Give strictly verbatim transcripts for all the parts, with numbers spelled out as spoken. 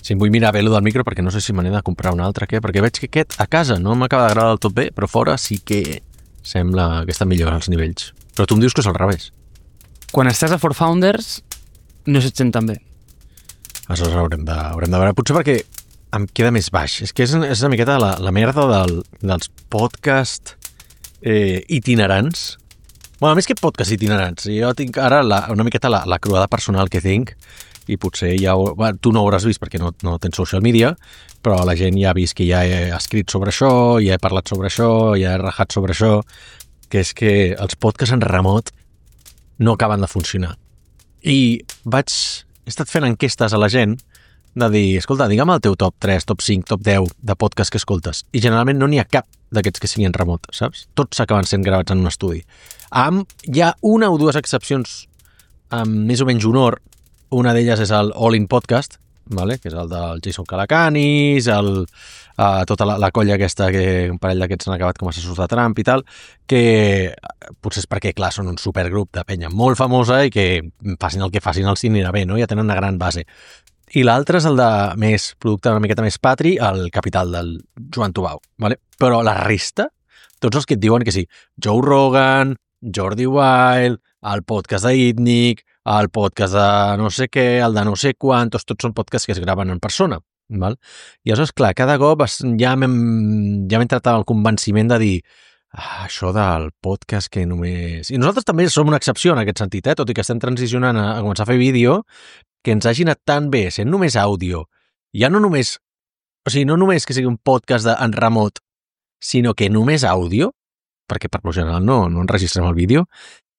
Sí, vull mirar bé lo del micro perquè no sé si me n'he de comprar un altre, què? Perquè veig que aquest a casa no m'acaba d'agradar del tot bé, però fora sí que sembla que està millor als nivells. Però tu em dius que és al revés. Quan estàs a For Founders no se't sent tan bé. Aleshores haurem de, haurem de veure. Potser perquè em queda més baix. És que és, és una miqueta la, la merda del, dels podcast eh, itinerants. Bueno, a més que podcast itinerants. Jo tinc ara la, una miqueta la, la cruada personal que tinc i potser ja ho, bueno, tu no ho hauràs vist perquè no, no tens social media, però la gent ja ha vist que ja he escrit sobre això, ja he parlat sobre això, ja he rajat sobre això, que és que els podcasts en remot no acaben de funcionar. I vaig... he estat fent enquestes a la gent de dir, escolta, digue'm el teu top tres, top cinc, top deu de podcast que escoltes. I generalment no n'hi ha cap d'aquests que siguin remot, saps? Tots acaben sent gravats en un estudi. Amb, hi ha una o dues excepcions amb més o menys honor. Una d'elles és el All In Podcast, vale? Que és el del Jason Calacanis, el, uh, tota la, la colla aquesta, que un parell d'aquests han acabat com a assessors de Trump i tal, que potser és perquè, clar, són un supergrup de penya molt famosa i que facin el que facin els anirà bé, no? Ja tenen una gran base. I l'altre és el de més producte una miqueta més patri, el Capital del Joan Tubau, vale? Però la resta, tots els que et diuen que sí, Joe Rogan, Jordi Wild, el podcast d'Itnic, el podcast de no sé què, el de no sé quantos, tots són podcasts que es graven en persona. Val? I aleshores, clar, cada cop ja m'hem ja m'he entrat al convenciment de dir ah, això del podcast que només... I nosaltres també som una excepció en aquest sentit, eh? Tot i que estem transicionant a, a començar a fer vídeo, que ens hagi anat tan bé sent només àudio, ja no només... O sigui, no només que sigui un podcast de, en remot, sinó que només àudio, perquè per lo general no, no enregistrem el vídeo,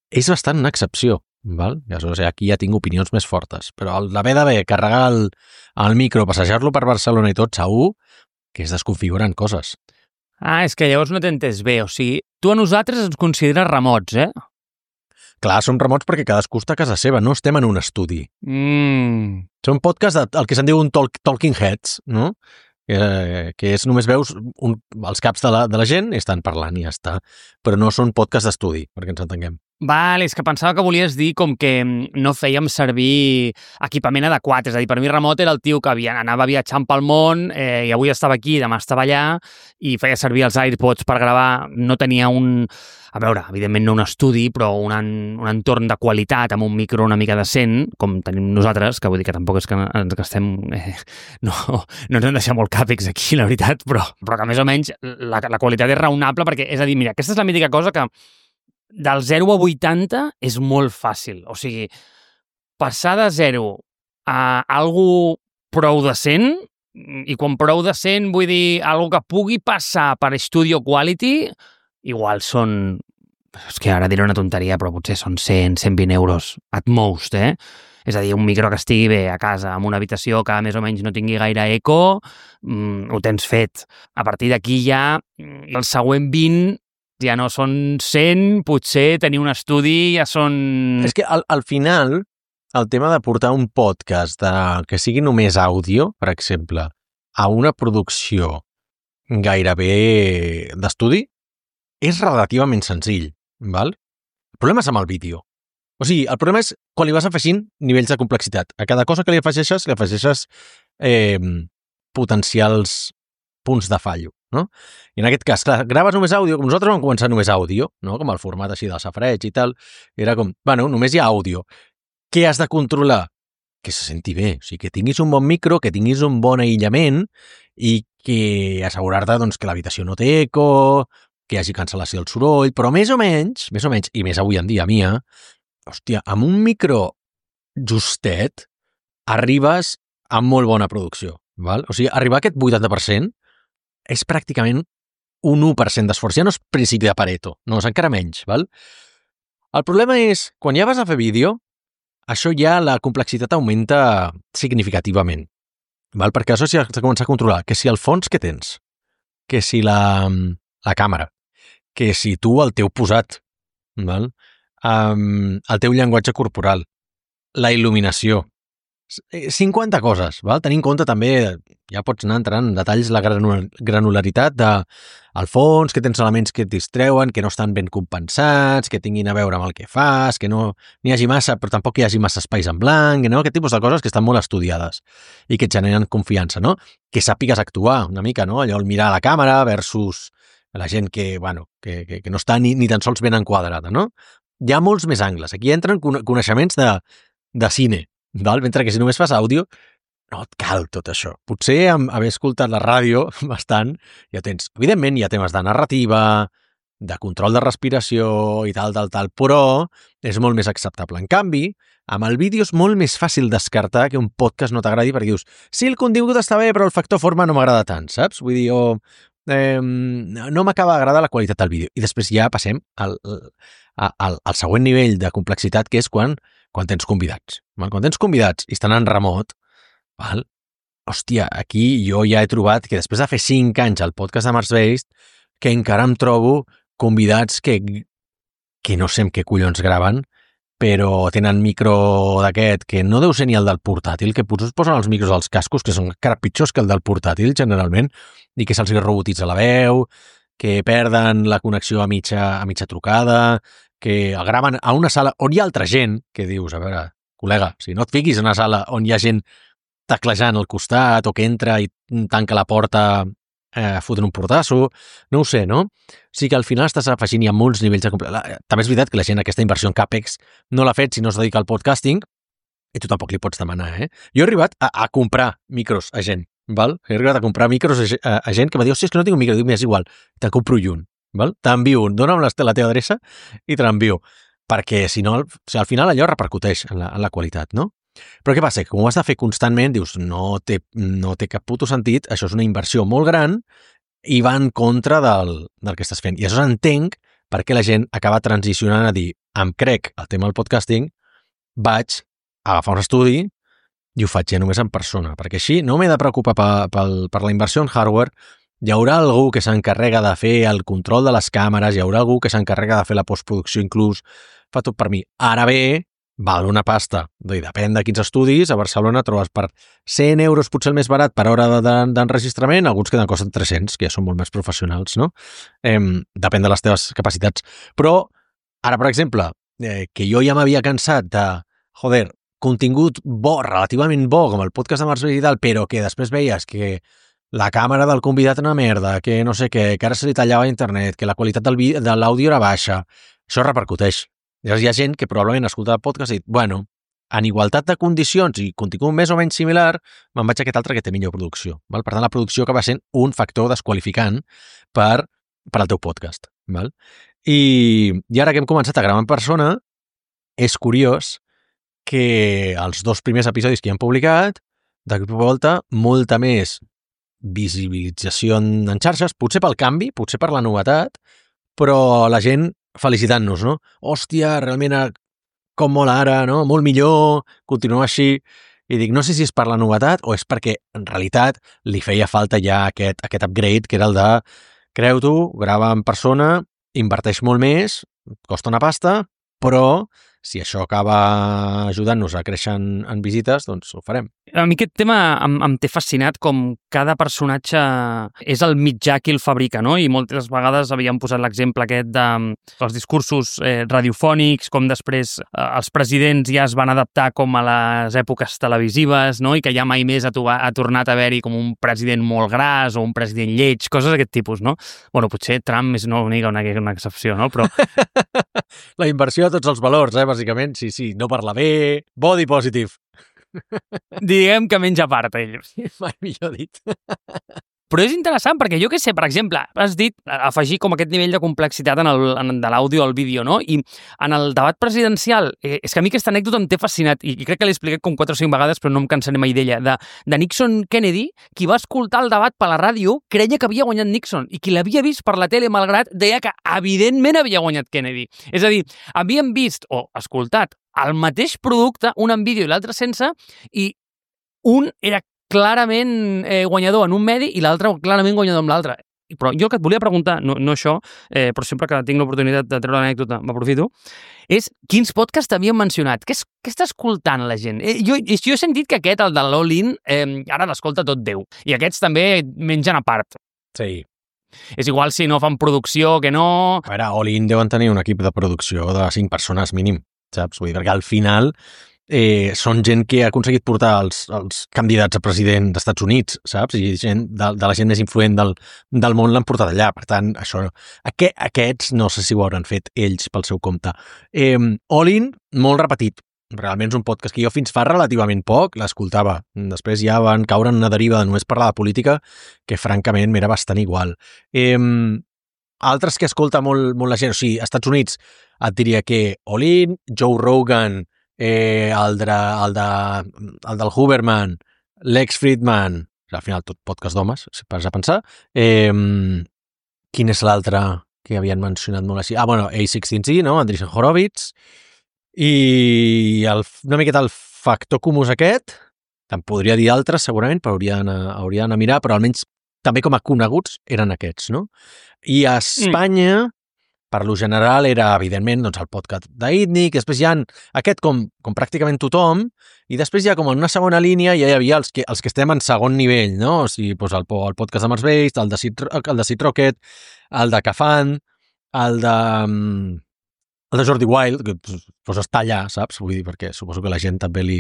és bastant una excepció. Val? I aleshores aquí ja tinc opinions més fortes, però l'haver d'haver carregar el, el micro, passejar-lo per Barcelona i tot, segur que es desconfiguren coses. Ah, és que llavors no t'he entès bé, o sigui, tu a nosaltres ens consideres remots, eh? Clar, som remots perquè cadascú està a casa seva, no estem en un estudi. Mm. Som un podcast de, el que se'n diu un talk, talking heads, no? Que, que és només veus un, els caps de la, de la gent i estan parlant i ja està, però no són podcast d'estudi, perquè ens entenguem. Val, és que pensava que volies dir com que no fèiem servir equipament adequat, és a dir, per mi remot era el tio que havia, anava viatjant pel món eh, i avui estava aquí, demà estava allà i feia servir els AirPods per gravar, no tenia un... A veure, evidentment no un estudi, però un, en, un entorn de qualitat amb un micro una mica decent, com tenim nosaltres, que vull dir que tampoc és que ens gastem... Eh, no, no ens hem deixat molt càpex aquí, la veritat, però, però que més o menys la, la qualitat és raonable, perquè, és a dir, mira, aquesta és la mítica cosa que del zero a vuitanta és molt fàcil. O sigui, passar de zero a algo prou decent, i quan prou decent vull dir algo que pugui passar per Studio Quality, igual són... És que ara diré una tonteria, però potser són cent, cent vint euros at most, eh? És a dir, un micro que estigui bé a casa, en una habitació que més o menys no tingui gaire eco, mmm, ho tens fet. A partir d'aquí ja, el següent vint ja no són cent, potser tenir un estudi ja són... És que al, al final, el tema de portar un podcast de, que sigui només àudio, per exemple, a una producció gairebé d'estudi, és relativament senzill, val? El problema és amb el vídeo. O sigui, el problema és quan li vas afegint nivells de complexitat. A cada cosa que li afegeixes, li afegeixes eh, potencials punts de fallo, no? I en aquest cas, clar, graves només àudio, com nosaltres vam començar només àudio, no? Com el format així del safareig i tal, era com, bueno, només hi ha àudio. Què has de controlar? Que se senti bé, o sigui, que tinguis un bon micro, que tinguis un bon aïllament i que assegurar-te doncs, que l'habitació no té eco, que hi hagi cancel·lació del soroll, però més o menys, més o menys, i més avui en dia, Mia, hòstia, amb un micro justet arribes a molt bona producció, val? O sigui, arribar a aquest vuitanta per cent és pràcticament un u per cent d'esforç. Ja no és principi de Pareto, no, és encara menys, val? El problema és, quan ja vas a fer vídeo, això ja la complexitat augmenta significativament, val? Perquè això sí has de començar a controlar, que si el fons que tens, que si la, la càmera, que si tu el teu posat, val? Um, el teu llenguatge corporal, la il·luminació, cinquanta coses, val? Tenint en compte també, ja pots anar entrant en detalls, la granularitat de al fons, que tens elements que et distreuen, que no estan ben compensats, que tinguin a veure amb el que fas, que no n'hi hagi massa, però tampoc hi hagi massa espais en blanc, no? Aquest tipus de coses que estan molt estudiades i que et generen confiança, no? Que sàpigues actuar una mica, no? Allò, el mirar a la càmera versus la gent que, bueno, que, que, que no està ni, ni tan sols ben enquadrada, no? Hi ha molts més angles. Aquí entren coneixements de, de cine, val? Mentre que si només fas àudio, no et cal tot això. Potser amb haver escoltat la ràdio bastant, ja tens, evidentment hi ha temes de narrativa, de control de respiració i tal, tal, tal, però és molt més acceptable. En canvi, amb el vídeo és molt més fàcil descartar que un podcast no t'agradi perquè dius, sí, el contingut està bé, però el factor forma no m'agrada tant, saps? Vull dir, o, eh, no m'acaba d'agradar la qualitat del vídeo. I després ja passem al, al, al següent nivell de complexitat, que és quan, quan tens convidats. Quan tens convidats i estan en remot, val? Hòstia, aquí jo ja he trobat que després de fer cinc anys al podcast de Mars Based, que encara em trobo convidats que, que no sé amb què collons graven, però tenen micro d'aquest, que no deu ser ni el del portàtil, que potser es posen els micros als cascos, que són encara pitjors que el del portàtil, generalment, i que se'ls robotitza la veu, que perden la connexió a mitja, a mitja trucada, que el graven a una sala on hi ha altra gent, que dius, a veure, col·lega, si no et fiquis en una sala on hi ha gent teclejant al costat o que entra i tanca la porta eh, fotent un portasso, no ho sé, no? O sigui que al final estàs afegint ja molts nivells de complexitat. També és veritat que la gent aquesta inversió en CAPEX no l'ha fet si no es dedica al podcasting i tu tampoc li pots demanar, eh? Jo he arribat a, a comprar micros a gent, val? He arribat a comprar micros a, a, a gent que m'ha dit, hòstia, és que no tinc un micro, dic, és igual, te'n compro un, val? T'envio un, dona'm la, la teva adreça i te l'envio, perquè si no, o sigui, al final allò repercuteix en la, en la qualitat, no? Però què passa? Que com ho has de fer constantment, dius, no té, no té cap puto sentit, això és una inversió molt gran i va en contra del, del que estàs fent. I aleshores entenc per què la gent acaba transicionant a dir, em crec el tema del podcasting, vaig agafar un estudi i ho faig ja només en persona, perquè així no m'he de preocupar per, per, per la inversió en hardware, hi haurà algú que s'encarrega de fer el control de les càmeres, hi haurà algú que s'encarrega de fer la postproducció inclús, fa tot per mi. Ara bé, val una pasta. I depèn de quins estudis, a Barcelona trobes per cent euros, potser el més barat per hora d'enregistrament, alguns que te'n costen tres-cents, que ja són molt més professionals, no? Eh, depèn de les teves capacitats. Però, ara, per exemple, eh, que jo ja m'havia cansat de, joder, contingut bo, relativament bo, com el podcast de Mars Based i tal, però que després veies que la càmera del convidat era una merda, que no sé què, que ara se li tallava internet, que la qualitat del de l'àudio era baixa, això repercuteix. Llavors hi ha gent que probablement escolta el podcast i dit, bueno, en igualtat de condicions i contingut més o menys similar, me'n vaig a aquest altre que té millor producció. Val? Per tant, la producció acaba sent un factor desqualificant per, per al teu podcast. Val? I, I ara que hem començat a gravar en persona, és curiós que els dos primers episodis que hem publicat, de cop i volta, molta més visibilització en, en xarxes, potser pel canvi, potser per la novetat, però la gent felicitant-nos, no? Hòstia, realment com mola ara, no? Molt millor, continuar així. I dic, no sé si és per la novetat o és perquè en realitat li feia falta ja aquest, aquest upgrade, que era el de creu-t'ho, grava en persona, inverteix molt més, costa una pasta, però si això acaba ajudant-nos a créixer en, en visites, doncs ho farem. A mi aquest tema em, em té fascinat com cada personatge és el mitjà qui el fabrica, no? I moltes vegades havíem posat l'exemple aquest de, dels discursos eh, radiofònics, com després eh, els presidents ja es van adaptar com a les èpoques televisives, no? I que ja mai més ha, to ha tornat a haver-hi com un president molt gras o un president lleig, coses d'aquest tipus, no? Bueno, potser Trump és una única, una, una excepció, no? Però... La inversió de tots els valors, eh, bàsicament. Sí, sí, no parla bé, body positive. Diguem que menja part, ell. Mai millor dit. Però és interessant perquè jo què sé, per exemple, has dit afegir com aquest nivell de complexitat en el, en, de l'àudio al vídeo, no? I en el debat presidencial, eh, és que a mi aquesta anècdota em té fascinat i, i crec que l'he explicat com quatre o cinc vegades, però no em cansaré mai d'ella, de, de Nixon-Kennedy, qui va escoltar el debat per la ràdio creia que havia guanyat Nixon i qui l'havia vist per la tele malgrat deia que evidentment havia guanyat Kennedy. És a dir, havien vist o escoltat el mateix producte, un en vídeo i l'altre sense, i un era clarament eh, guanyador en un medi i l'altre clarament guanyador amb l'altre. però jo el que et volia preguntar, no, no això, eh, però sempre que tinc l'oportunitat de treure l'anècdota m'aprofito, és quins podcasts t'havien mencionat? Què, és, què està escoltant la gent? Eh, jo, jo he sentit que aquest, el de l'All-In, eh, ara l'escolta tot Déu. I aquests també mengen a part. Sí. És igual si no fan producció, que no... A veure, All-In deuen tenir un equip de producció de cinc persones mínim, saps? Vull dir, perquè al final eh, són gent que ha aconseguit portar els, els candidats a president dels Estats Units, saps? I gent de, de la gent més influent del, del món l'han portat allà. Per tant, això, aqu aquests no sé si ho hauran fet ells pel seu compte. Eh, All-In, molt repetit. Realment és un podcast que jo fins fa relativament poc l'escoltava. Després ja van caure en una deriva de només parlar de política que francament m'era bastant igual. Eh, altres que escolta molt, molt la gent, o sigui, als Estats Units et diria que All-In, Joe Rogan, eh, el, de, el, de, el del Huberman, Lex Fridman, al final tot podcast d'homes, si pares a pensar. Eh, quin és l'altre que havien mencionat molt així? Ah, bueno, A seixteen Z, no? Andreessen Horowitz. I el, una miqueta el factor comus aquest, te'n podria dir altres segurament, però hauria d'anar a mirar, però almenys també com a coneguts eren aquests, no? I a Espanya, mm. per lo general, era evidentment doncs, el podcast d'Itnic, després hi ha aquest com, com pràcticament tothom, i després ja com en una segona línia ja hi havia els que, els que estem en segon nivell, no? O sigui, doncs el, el podcast de Mars Based, el de Seed, el de Seed Rocket, el de Cafan, el de... el de Jordi Wild, que pues, està allà, saps? Vull dir, perquè suposo que a la gent també li,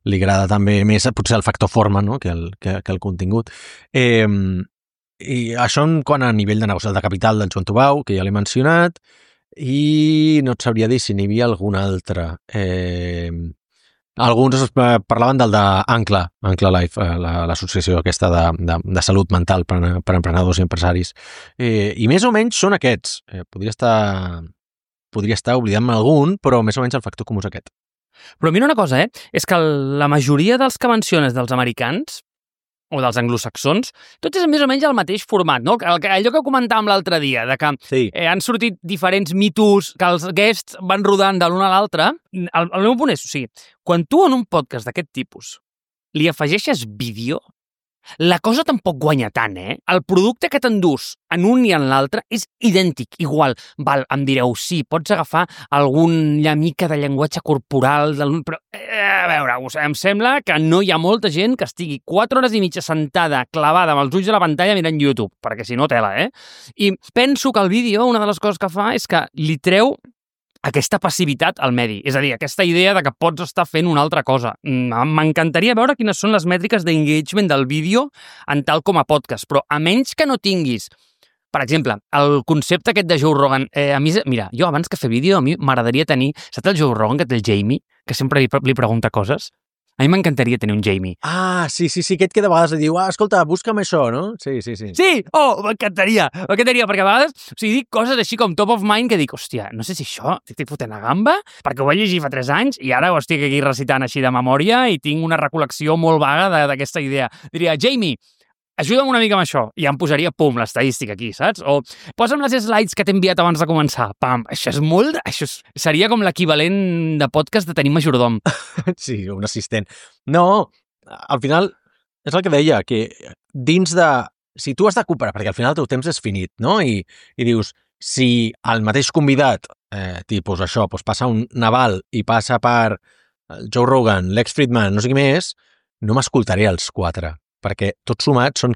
li agrada també més, potser el factor forma, no? que, el, que, que el contingut. Eh, I això en quant a nivell de negoci, el de Capital del Joan Tubau, que ja l'he mencionat, i no et sabria dir si n'hi havia algun altre. Eh, alguns parlaven del d'Ancla, Ancla Life, l'associació aquesta de, de, de salut mental per, per emprenedors i empresaris. Eh, I més o menys són aquests. Eh, podria estar... podria estar oblidant-me algun, però més o menys el factor comú és aquest. Però mira una cosa, eh? És que la majoria dels que menciones dels americans o dels anglosaxons, tot és més o menys el mateix format, no? Allò que comentàvem l'altre dia, de que sí. eh, han sortit diferents mitos, que els guests van rodant de l'un a l'altre. El, el meu punt és, o sigui, quan tu en un podcast d'aquest tipus li afegeixes vídeo, la cosa tampoc guanya tant, eh? El producte que t'endús en un i en l'altre és idèntic, igual. Val, em direu, sí, pots agafar alguna mica de llenguatge corporal, del... però, eh, a veure, em sembla que no hi ha molta gent que estigui quatre hores i mitja sentada, clavada amb els ulls a la pantalla mirant YouTube, perquè si no, tela, eh? I penso que el vídeo, una de les coses que fa és que li treu aquesta passivitat al medi. És a dir, aquesta idea de que pots estar fent una altra cosa. M'encantaria veure quines són les mètriques d'engagement del vídeo en tal com a podcast, però a menys que no tinguis, per exemple, el concepte aquest de Joe Rogan, eh, a mi, mira, jo abans que fer vídeo, a mi m'agradaria tenir, saps el Joe Rogan que té el Jamie, que sempre li, li pregunta coses? A mi m'encantaria tenir un Jamie. Ah, sí, sí, sí, aquest que de vegades li diu, ah, escolta, busca'm això, no? Sí, sí, sí. Sí! Oh, m'encantaria! M'encantaria, perquè a vegades, o sigui, dic coses així com top of mind que dic, hòstia, no sé si això estic fotent a gamba, perquè ho vaig llegir fa tres anys i ara ho estic aquí recitant així de memòria i tinc una recol·lecció molt vaga d'aquesta idea. Diria, Jamie, ajuda'm una mica amb això. I em posaria, pum, l'estadística aquí, saps? O posa'm les slides que t'he enviat abans de començar. Pam, això és molt... Això és... seria com l'equivalent de podcast de tenir majordom. Sí, un assistent. No, al final, és el que deia, que dins de... Si tu has de cooperar, perquè al final el teu temps és finit, no? I, i dius, si el mateix convidat, eh, tipus això, doncs passa un Naval i passa per Joe Rogan, Lex Fridman, no sé qui més, no m'escoltaré els quatre, perquè tots sumats són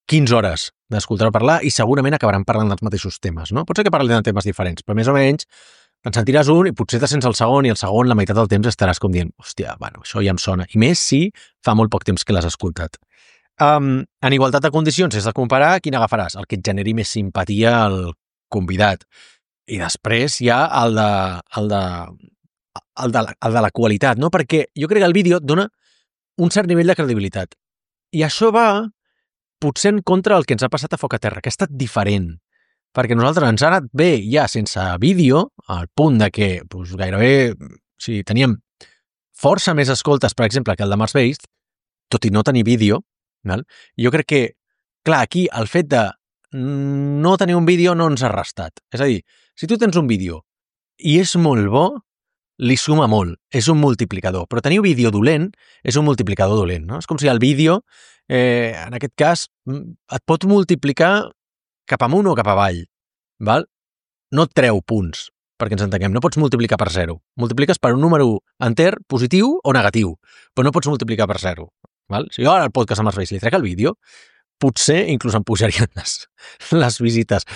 quinze hores d'escoltar-ho parlar i segurament acabaran parlant dels mateixos temes, no? Pot ser que parlin de temes diferents, però més o menys te'n sentiràs un i potser te sents el segon i el segon la meitat del temps estaràs com dient, hòstia, bueno, això ja em sona. I més si fa molt poc temps que l'has escoltat. Um, en igualtat de condicions, si has de comparar, quin agafaràs? El que et generi més simpatia al convidat. I després hi ha el de, el de, el de, la, el de la qualitat, no? Perquè jo crec que el vídeo et dona un cert nivell de credibilitat. I això va potser en contra del que ens ha passat a Foc a Terra, que ha estat diferent. Perquè nosaltres ens ha anat bé ja sense vídeo, al punt de que doncs, gairebé o sigui, teníem força més escoltes, per exemple, que el de Mars Based, tot i no tenir vídeo. Val? Jo crec que, clar, aquí el fet de no tenir un vídeo no ens ha restat. És a dir, si tu tens un vídeo i és molt bo, li suma molt, és un multiplicador. Però tenir un vídeo dolent és un multiplicador dolent, no? És com si el vídeo, eh, en aquest cas, et pot multiplicar cap amunt o cap avall, val? No et treu punts, perquè ens entenguem. No pots multiplicar per zero. Multipliques per un número enter positiu o negatiu, però no pots multiplicar per zero. Val? Si jo ara el podcast amb els veïns li trec el vídeo, potser inclús em pujarien les, les visites.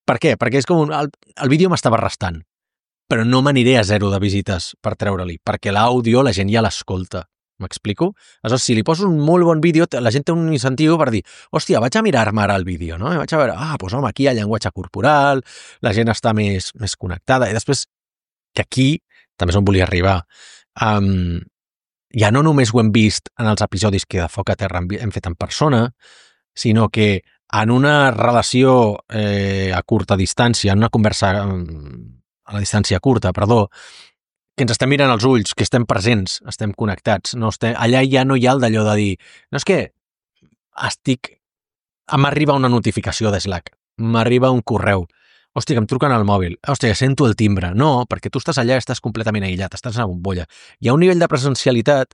Per què? Perquè és com un, el, el vídeo m'estava restant, però no m'aniré a zero de visites per treure-li, perquè l'àudio la gent ja l'escolta. M'explico? Aleshores, si li poso un molt bon vídeo, la gent té un incentiu per dir, hòstia, vaig a mirar-me ara el vídeo, no? I vaig a veure, ah, doncs home, aquí hi ha llenguatge corporal, la gent està més, més connectada, i després, que aquí, també és on volia arribar, um, ja no només ho hem vist en els episodis que de Foc a Terra hem fet en persona, sinó que en una relació eh, a curta distància, en una conversa a la distància curta, perdó, que ens estem mirant als ulls, que estem presents, estem connectats. No estem, allà ja no hi ha el d'allò de dir, no és que estic... m'arriba una notificació de Slack, m'arriba un correu, hòstia, que em truquen al mòbil, hòstia, sento el timbre. No, perquè tu estàs allà i estàs completament aïllat, estàs a una bombolla. Hi ha un nivell de presencialitat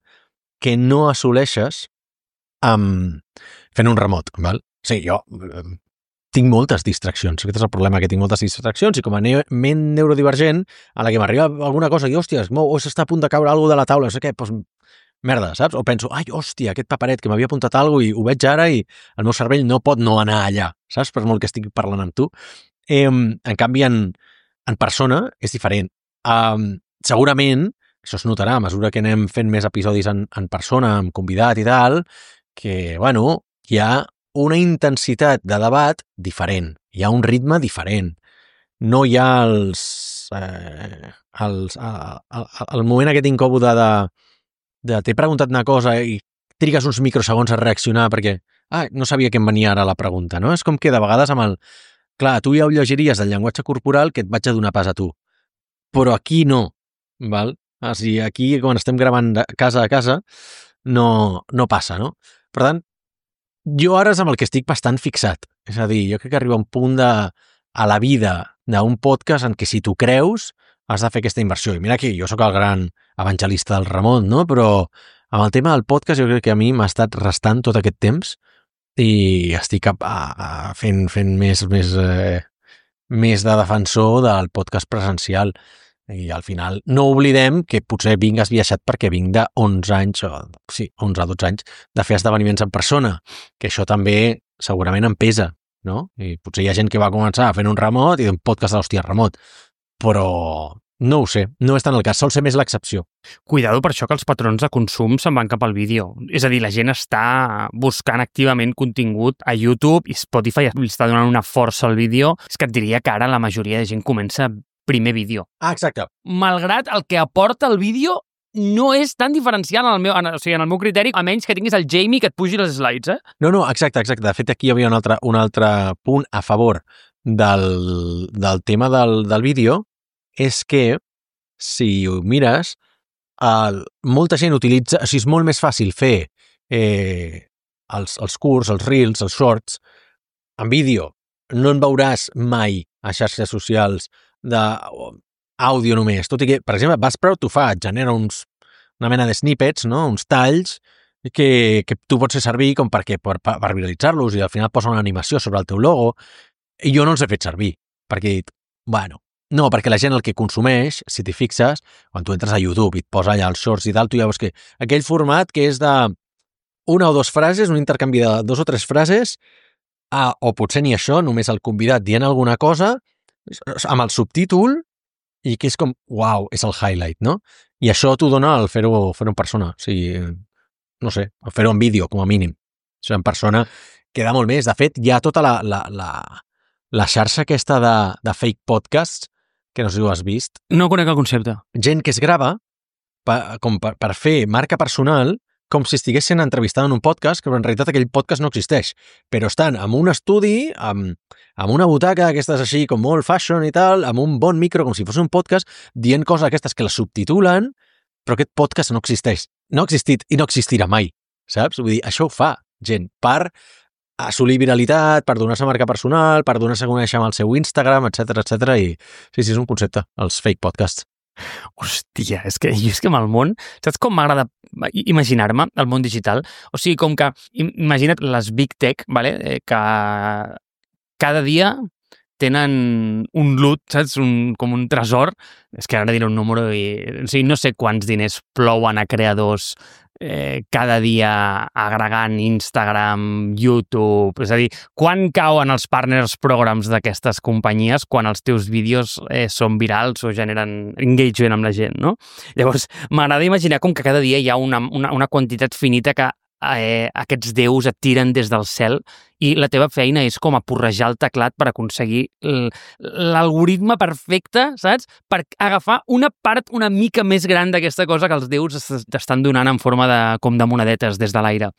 que no assoleixes amb... fent un remot, val? Sí, jo tinc moltes distraccions. Aquest és el problema, que tinc moltes distraccions i com a ne ment neurodivergent, a la que m'arriba alguna cosa i, hòstia, es mou, o s'està a punt de caure alguna de la taula, no sé què, doncs, merda, saps? O penso, ai, hòstia, aquest paperet que m'havia apuntat alguna cosa i ho veig ara i el meu cervell no pot no anar allà, saps? Per molt que estigui parlant amb tu. Eh, en canvi, en, en persona és diferent. Um, segurament, això es notarà a mesura que anem fent més episodis en, en persona, amb convidat i tal, que, bueno, hi ha una intensitat de debat diferent, hi ha un ritme diferent. No hi ha els... Eh, els el, el, el moment aquest incòmode de, de t'he preguntat una cosa i trigues uns microsegons a reaccionar perquè ah, no sabia que em venia ara la pregunta, no? És com que de vegades amb el... Clar, tu ja ho llegiries del llenguatge corporal que et vaig a donar pas a tu. Però aquí no, val? O sigui, aquí, quan estem gravant de casa a casa, no, no passa, no? Per tant, jo ara és amb el que estic bastant fixat. És a dir, jo crec que arriba un punt de, a la vida d'un podcast en què si tu creus has de fer aquesta inversió. I mira que jo sóc el gran evangelista del remot, no? Però amb el tema del podcast jo crec que a mi m'ha estat restant tot aquest temps i estic a, a, a fent, fent més, més, eh, més de defensor del podcast presencial. I al final no oblidem que potser vinc esbiaixat perquè vinc de onze anys, o sí, onze a dotze anys, de fer esdeveniments en persona, que això també segurament em pesa, no? I potser hi ha gent que va començar fent un remot i un podcast de l'hòstia remot, però no ho sé, no és tant el cas, sol ser més l'excepció. Cuidado per això que els patrons de consum se'n van cap al vídeo. És a dir, la gent està buscant activament contingut a YouTube i Spotify li està donant una força al vídeo. És que et diria que ara la majoria de gent comença primer vídeo. Ah, exacte. Malgrat el que aporta el vídeo no és tan diferencial en el meu, en, o sigui, en el meu criteri, a menys que tinguis el Jamie que et pugi les slides, eh? No, no, exacte, exacte. De fet, aquí hi havia un altre, un altre punt a favor del, del tema del, del vídeo, és que, si ho mires, el, molta gent utilitza... O sigui, és molt més fàcil fer eh, els, els curts, els reels, els shorts, en vídeo. No en veuràs mai a xarxes socials d'àudio només, tot i que, per exemple, Buzzsprout t'ho fa, et genera uns, una mena de snippets, no? Uns talls que, que tu pots fer servir com perquè, per, per viralitzar-los i al final posa una animació sobre el teu logo i jo no els he fet servir, perquè he dit, bueno, no, perquè la gent el que consumeix, si t'hi fixes, quan tu entres a YouTube i et posa allà els shorts i tal, tu ja veus que aquell format que és de una o dues frases, un intercanvi de dos o tres frases, ah, o potser ni això, només el convidat dient alguna cosa, amb el subtítol i que és com, uau, és el highlight, no? I això t'ho dona el fer-ho fer-ho en persona, o sigui, no sé, fer-ho en vídeo, com a mínim. O sigui, en persona queda molt més. De fet, hi ha tota la, la, la, la xarxa aquesta de, de fake podcasts, que no sé si ho has vist. No conec el concepte. Gent que es grava per, com per, per fer marca personal, com si estigués sent entrevistat en un podcast, que en realitat aquell podcast no existeix, però estan en un estudi, amb, amb una butaca aquestes així com molt fashion i tal, amb un bon micro, com si fos un podcast, dient coses aquestes que les subtitulen, però aquest podcast no existeix. No ha existit i no existirà mai, saps? Vull dir, això ho fa gent per assolir viralitat, per donar-se marca personal, per donar-se a conèixer amb el seu Instagram, etcètera, etcètera. I sí, sí, és un concepte, els fake podcasts. Hòstia, és que jo és que amb el món, saps com m'agrada imaginar-me el món digital? O sigui, com que, imagina't les Big Tech, vale? eh, que cada dia tenen un loot, saps? Un, com un tresor. És que ara diré un número i... O sigui, no sé quants diners plouen a creadors eh, cada dia agregant Instagram, YouTube... És a dir, quan cauen els partners programs d'aquestes companyies quan els teus vídeos eh, són virals o generen engagement amb la gent, no? Llavors, m'agrada imaginar com que cada dia hi ha una, una, una quantitat finita que eh, aquests déus et tiren des del cel i la teva feina és com a porrejar el teclat per aconseguir l'algoritme perfecte, saps? Per agafar una part una mica més gran d'aquesta cosa que els déus t'estan donant en forma de, com de monedetes des de l'aire.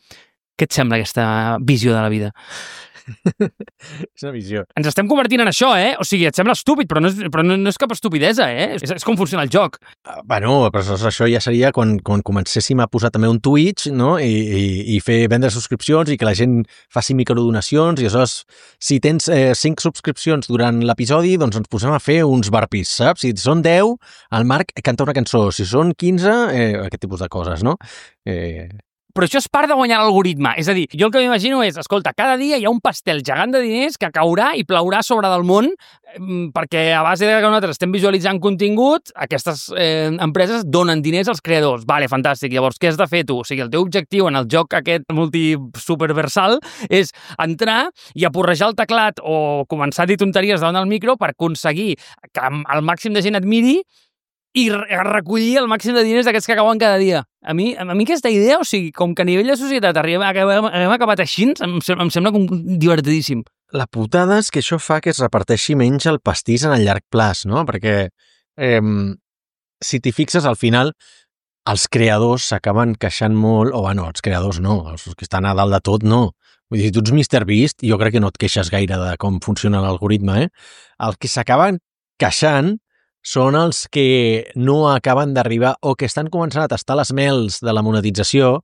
Què et sembla aquesta visió de la vida? És una visió. Ens estem convertint en això, eh? O sigui, et sembla estúpid, però no és, però no, no és cap estupidesa, eh? És, és com funciona el joc. Uh, bueno, però això ja seria quan, quan comencéssim a posar també un Twitch, no? I, i, i fer vendre subscripcions i que la gent faci microdonacions i aleshores, si tens eh, cinc subscripcions durant l'episodi, doncs ens posem a fer uns barpis, saps? Si són deu, el Marc canta una cançó. Si són quinze, eh, aquest tipus de coses, no? Eh... Però això és part de guanyar l'algoritme. És a dir, jo el que m'imagino és, escolta, cada dia hi ha un pastel gegant de diners que caurà i plaurà sobre del món perquè a base de que nosaltres estem visualitzant contingut, aquestes eh, empreses donen diners als creadors. Vale, fantàstic. Llavors, què has de fer tu? O sigui, el teu objectiu en el joc aquest multi-superversal és entrar i aporrejar el teclat o començar a dir tonteries davant del micro per aconseguir que el màxim de gent et miri i recollir el màxim de diners d'aquests que acaben cada dia. A mi, a mi aquesta idea, o sigui, com que a nivell de societat arribem, acabem, hem acabat així, em, em sembla com divertidíssim. La putada és que això fa que es reparteixi menys el pastís en el llarg plaç, no? Perquè eh, si t'hi fixes, al final els creadors s'acaben queixant molt, o bueno, els creadors no, els que estan a dalt de tot no. Vull dir, si tu ets míster Beast, jo crec que no et queixes gaire de com funciona l'algoritme, eh? Els que s'acaben queixant són els que no acaben d'arribar o que estan començant a tastar les mels de la monetització,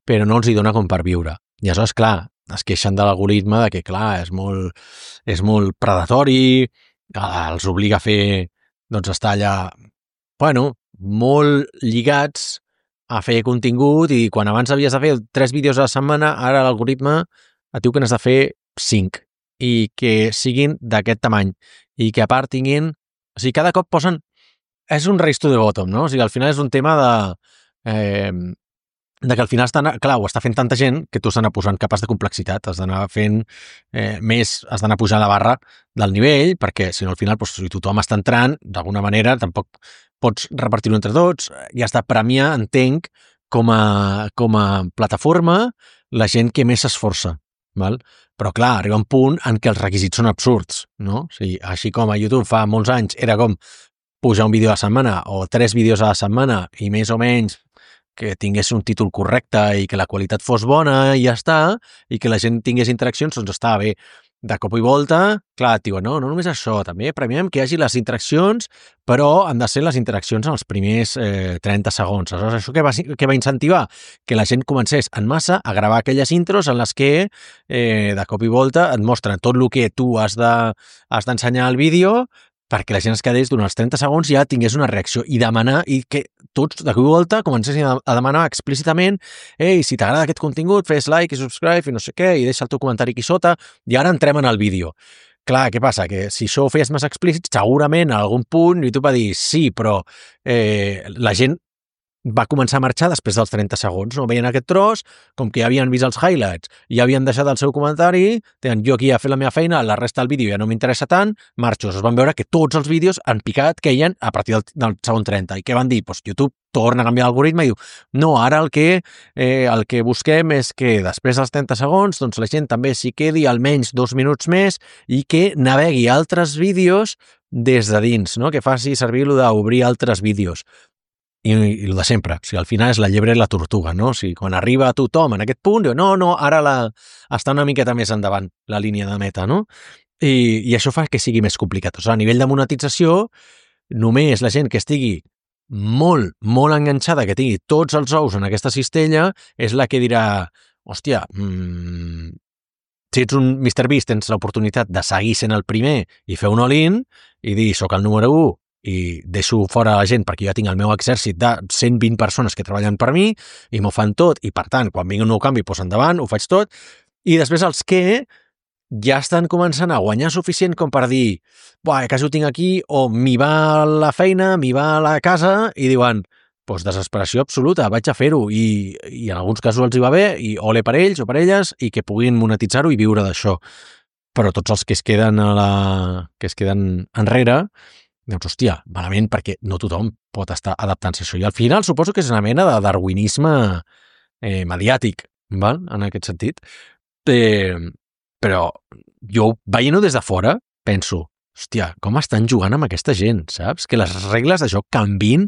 però no els hi dona com per viure. I aleshores, clar, es queixen de l'algoritme de que, clar, és molt, és molt predatori, els obliga a fer, doncs, estar allà, bueno, molt lligats a fer contingut i quan abans havies de fer tres vídeos a la setmana, ara l'algoritme et diu que n'has de fer cinc i que siguin d'aquest tamany i que a part tinguin... O sigui, cada cop posen... És un race to the bottom, no? O sigui, al final és un tema de... Eh, de que al final estan... Clar, ho està fent tanta gent que tu has d'anar posant capes de complexitat, has d'anar fent eh, més, has d'anar pujant la barra del nivell, perquè si no al final, doncs, si tothom està entrant, d'alguna manera, tampoc pots repartir-ho entre tots, i has de premiar, entenc, com a, com a plataforma, la gent que més s'esforça, val? Però, clar, arriba un punt en què els requisits són absurds, no? O sigui, així com a YouTube fa molts anys era com pujar un vídeo a la setmana o tres vídeos a la setmana i més o menys que tingués un títol correcte i que la qualitat fos bona i ja està, i que la gent tingués interaccions, doncs estava bé. De cop i volta, clar, et diuen, no, no només això, també premiem que hi hagi les interaccions, però han de ser les interaccions en els primers eh, trenta segons. Aleshores, això què va, què va incentivar? Que la gent comencés en massa a gravar aquelles intros en les que eh, de cop i volta et mostren tot el que tu has de, has d'ensenyar al vídeo perquè la gent es quedés durant els trenta segons i ja tingués una reacció i demanar, i que tots de cop i volta comencessin a demanar explícitament ei, si t'agrada aquest contingut, fes like i subscribe i no sé què, i deixa el teu comentari aquí sota i ara entrem en el vídeo. Clar, què passa? Que si això ho feies més explícit, segurament a algun punt YouTube va dir sí, però eh, la gent va començar a marxar després dels trenta segons, no? Veien aquest tros, com que ja havien vist els highlights, ja havien deixat el seu comentari, deien, jo aquí ja he fet la meva feina, la resta del vídeo ja no m'interessa tant, marxo. Es van veure que tots els vídeos en picat queien a partir del, del segon trenta. I què van dir? Pues YouTube torna a canviar l'algoritme i diu, no, ara el que, eh, el que busquem és que després dels trenta segons doncs la gent també s'hi quedi almenys dos minuts més i que navegui altres vídeos des de dins, no? Que faci servir lo d'obrir altres vídeos. I, i el de sempre, o sigui, al final és la llebre i la tortuga, no? O sigui, quan arriba a tothom en aquest punt, diu, no, no, ara la, està una miqueta més endavant la línia de meta, no? I, i això fa que sigui més complicat. O sigui, a nivell de monetització, només la gent que estigui molt, molt enganxada, que tingui tots els ous en aquesta cistella, és la que dirà, hòstia, mmm, si ets un míster Beast tens l'oportunitat de seguir sent el primer i fer un all-in i dir, soc el número u, i deixo fora la gent perquè jo tinc el meu exèrcit de cent vint persones que treballen per mi i m'ho fan tot i, per tant, quan vingui un nou canvi, doncs endavant, ho faig tot. I després els que ja estan començant a guanyar suficient com per dir buah, quasi ho tinc aquí, o m'hi va la feina, m'hi va la casa, i diuen, doncs desesperació absoluta, vaig a fer-ho, i, i en alguns casos els hi va bé, i ole per ells o per elles, i que puguin monetitzar-ho i viure d'això. Però tots els que es queden a la... que es queden enrere, doncs, hòstia, malament, perquè no tothom pot estar adaptant-se a això. I al final suposo que és una mena de darwinisme eh, mediàtic, val? En aquest sentit. Eh, però jo, veient-ho des de fora, penso, hòstia, com estan jugant amb aquesta gent, saps? Que les regles de joc canvin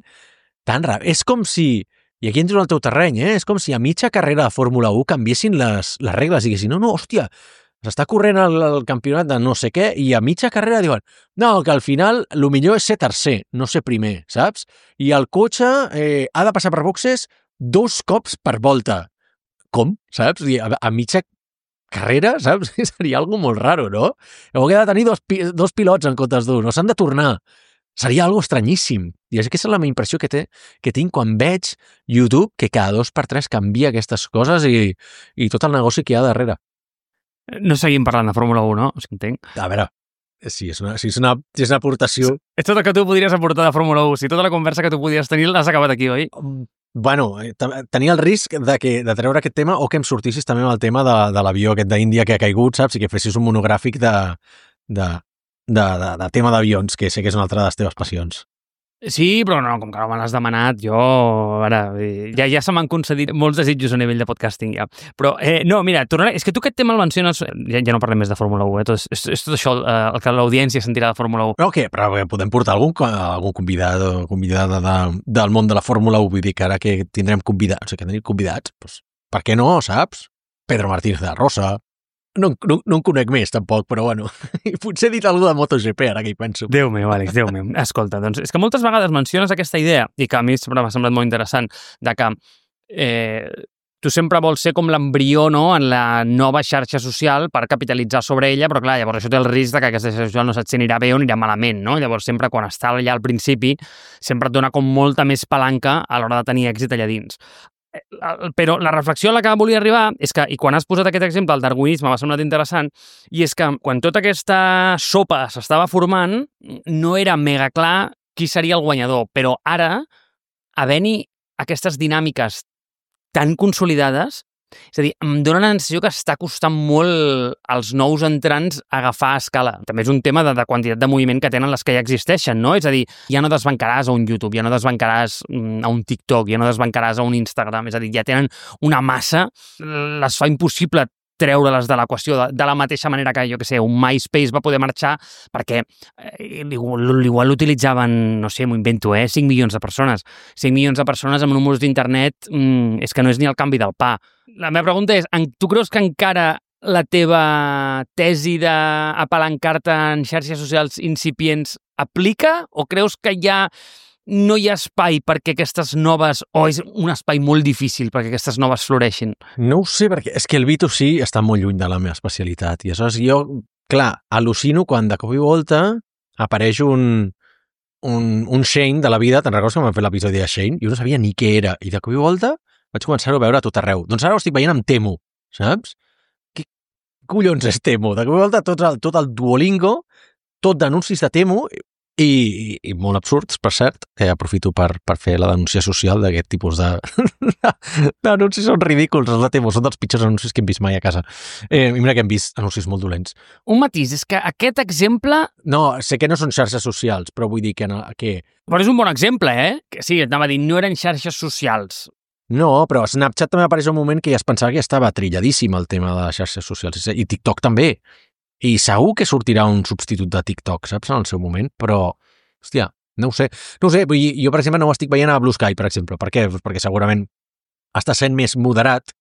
tan ràpid. És com si, i aquí entro al teu terreny, eh? És com si a mitja carrera de Fórmula u canviessin les, les regles i diguessin, no, no, hòstia, s'està corrent el, el campionat de no sé què i a mitja carrera diuen, no, que al final el millor és ser tercer, no ser primer, saps? I el cotxe eh, ha de passar per boxes dos cops per volta. Com? Saps? A, a mitja carrera, saps? Seria algo molt raro, no? Heu de tenir dos, dos pilots en comptes d'un, no s'han de tornar. Seria algo estranyíssim. I és que és la meva impressió que, té, que tinc quan veig YouTube, que cada dos per tres canvia aquestes coses i, i tot el negoci que hi ha darrere. No seguim parlant de Fórmula u, no? O sigui, entenc. A veure, si és una, si és una, si és una aportació... És tot el que tu podries aportar de Fórmula u. Si tota la conversa que tu podies tenir l'has acabat aquí, oi? Bueno, tenia el risc de, que, de treure aquest tema o que em sortissis també amb el tema de, de l'avió aquest d'Índia que ha caigut, saps? I que fessis un monogràfic de, de, de, de, de tema d'avions, que sé que és una altra de les teves passions. Sí, però no, com que no me l'has demanat, jo... Ara, ja, ja se m'han concedit molts desitjos a nivell de podcasting, ja. Però, eh, no, mira, tornaré... És que tu aquest tema el menciones... Ja, ja no parlem més de Fórmula u, eh? Tot, és, és tot això eh, el que l'audiència sentirà de Fórmula u. No, què? Però podem portar algun, algun convidat o convidada de, del món de la Fórmula u, vull dir que ara que tindrem convidats, o sigui, que tenim convidats, doncs, per què no, saps? Pedro Martínez de la Rosa... No, no, no en conec més, tampoc, però bueno, potser he dit alguna de MotoGP, ara que hi penso. Déu meu, Àlex, Déu meu. Escolta, doncs, és que moltes vegades menciones aquesta idea, i que a mi sempre m'ha semblat molt interessant, de que eh, tu sempre vols ser com l'embrió, no?, en la nova xarxa social per capitalitzar sobre ella, però clar, llavors això té el risc de que aquesta xarxa social no saps si anirà bé o anirà malament, no? Llavors sempre quan està allà al principi sempre et dona com molta més palanca a l'hora de tenir èxit allà dins. Però la reflexió a la que volia arribar és que, i quan has posat aquest exemple, el darwinisme m'ha semblat interessant, i és que quan tota aquesta sopa s'estava formant, no era mega clar qui seria el guanyador, però ara, havent-hi aquestes dinàmiques tan consolidades, és a dir, em dóna la sensació que està costant molt als nous entrants agafar a escala. També és un tema de, de quantitat de moviment que tenen les que ja existeixen, no? És a dir, ja no desbancaràs a un YouTube, ja no desbancaràs a un TikTok, ja no desbancaràs a un Instagram, és a dir, ja tenen una massa, les fa impossible treure-les de l'equació, de, de la mateixa manera que, jo què sé, un MySpace va poder marxar perquè eh, igual l'utilitzaven, no sé, m'ho invento, eh, cinc milions de persones. cinc milions de persones amb números d'internet mm, és que no és ni el canvi del pa. La meva pregunta és, tu creus que encara la teva tesi d'apalancar-te en xarxes socials incipients aplica o creus que ja no hi ha espai perquè aquestes noves, o és un espai molt difícil perquè aquestes noves floreixin? No ho sé, perquè és que el B dos C està molt lluny de la meva especialitat i aleshores jo, clar, al·lucino quan de cop i volta apareix un, un, un Shane de la vida, te'n recordes que m'han fet l'episodi de Shane? Jo no sabia ni què era i de cop i volta vaig començar a veure a tot arreu. Doncs ara ho estic veient amb Temu, saps? Què collons és Temu? De cop i volta tot el, tot el Duolingo, tot d'anuncis de Temu i, i, i molt absurds, per cert. Eh, aprofito per, per fer la denúncia social d'aquest tipus de... d'anuncis són ridículs, els de Temu, són dels pitjors anuncis que hem vist mai a casa. Eh, I mira que hem vist anuncis molt dolents. Un matís, és que aquest exemple... No, sé que no són xarxes socials, però vull dir que... No, que... Però és un bon exemple, eh? Que sí, et anava a dir, no eren xarxes socials. No, però a Snapchat també apareix un moment que ja es pensava que ja estava trilladíssim el tema de les xarxes socials, i TikTok també. I segur que sortirà un substitut de TikTok, saps, en el seu moment, però, hòstia, no ho sé. No ho sé, vull dir, jo, per exemple, no ho estic veient a Blue Sky, per exemple. Per què? Perquè segurament està sent més moderat,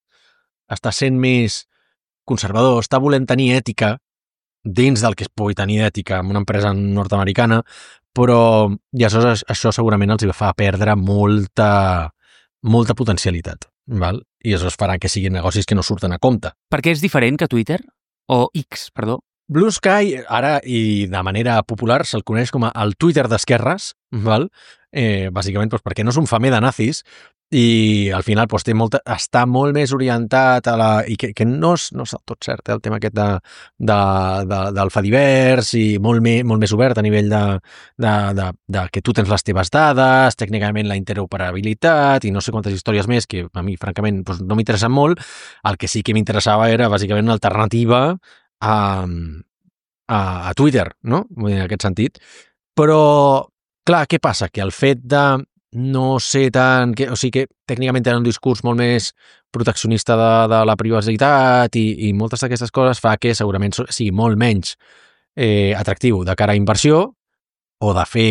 està sent més conservador, està volent tenir ètica dins del que es pugui tenir ètica en una empresa nord-americana, però i aleshores això segurament els fa perdre molta... molta potencialitat, val? I això es farà que siguin negocis que no surten a compte. Per què és diferent que Twitter? O X, perdó? Blue Sky, ara, i de manera popular, se'l coneix com a el Twitter d'esquerres, val? Eh, bàsicament doncs, perquè no és un famer de nazis, i al final doncs, té molta, està molt més orientat a la... i que, que no, és, no és del tot cert, eh, el tema aquest de, de, de, del fa divers i molt, me, molt més obert a nivell de, de, de, de que tu tens les teves dades, tècnicament la interoperabilitat i no sé quantes històries més que a mi, francament, doncs, no m'interessen molt. El que sí que m'interessava era bàsicament una alternativa a, a, a Twitter, no? En aquest sentit. Però, clar, què passa? Que el fet de no sé tant... Que, o sigui que tècnicament tenen un discurs molt més proteccionista de, de la privacitat i, i moltes d'aquestes coses fa que segurament sigui molt menys eh, atractiu de cara a inversió o de fer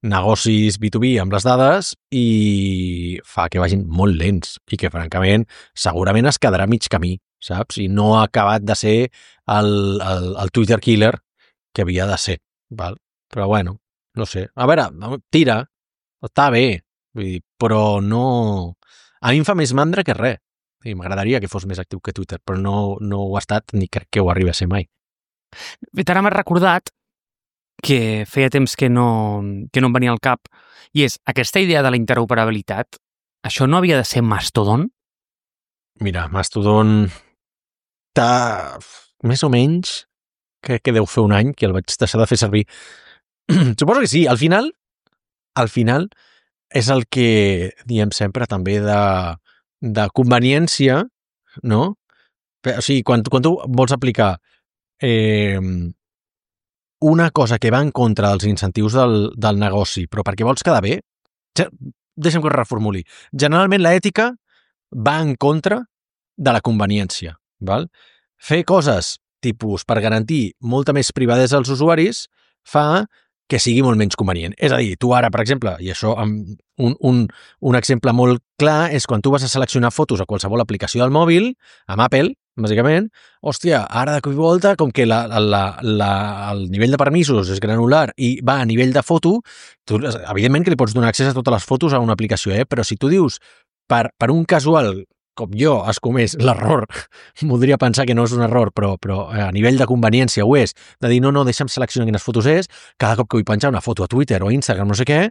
negocis B dos B amb les dades i fa que vagin molt lents i que, francament, segurament es quedarà mig camí, saps? I no ha acabat de ser el, el, el Twitter killer que havia de ser, val? Però, bueno, no sé. A veure, tira, està bé, vull dir, però no... A mi em fa més mandra que res. I m'agradaria que fos més actiu que Twitter, però no, no ho ha estat ni crec que ho arribi a ser mai. Ara m'has recordat que feia temps que no, que no em venia al cap, i és aquesta idea de la interoperabilitat, això no havia de ser Mastodon? Mira, Mastodon està més o menys, crec que deu fer un any que el vaig deixar de fer servir. Suposo que sí, al final, al final és el que diem sempre també de, de conveniència, no? O sigui, quan, quan tu vols aplicar eh, una cosa que va en contra dels incentius del, del negoci, però perquè vols quedar bé, ja, deixa'm que ho reformuli. Generalment l'ètica va en contra de la conveniència. Val? Fer coses tipus per garantir molta més privadesa als usuaris fa que sigui molt menys convenient. És a dir, tu ara, per exemple, i això un, un, un exemple molt clar és quan tu vas a seleccionar fotos a qualsevol aplicació del mòbil, amb Apple, bàsicament, hòstia, ara de cop i volta, com que la, la, la, el nivell de permisos és granular i va a nivell de foto, tu, evidentment que li pots donar accés a totes les fotos a una aplicació, eh? Però si tu dius per, per un casual com jo has comès l'error, voldria pensar que no és un error, però, però a nivell de conveniència ho és, de dir no, no, deixa'm seleccionar quines fotos és, cada cop que vull penjar una foto a Twitter o a Instagram, no sé què,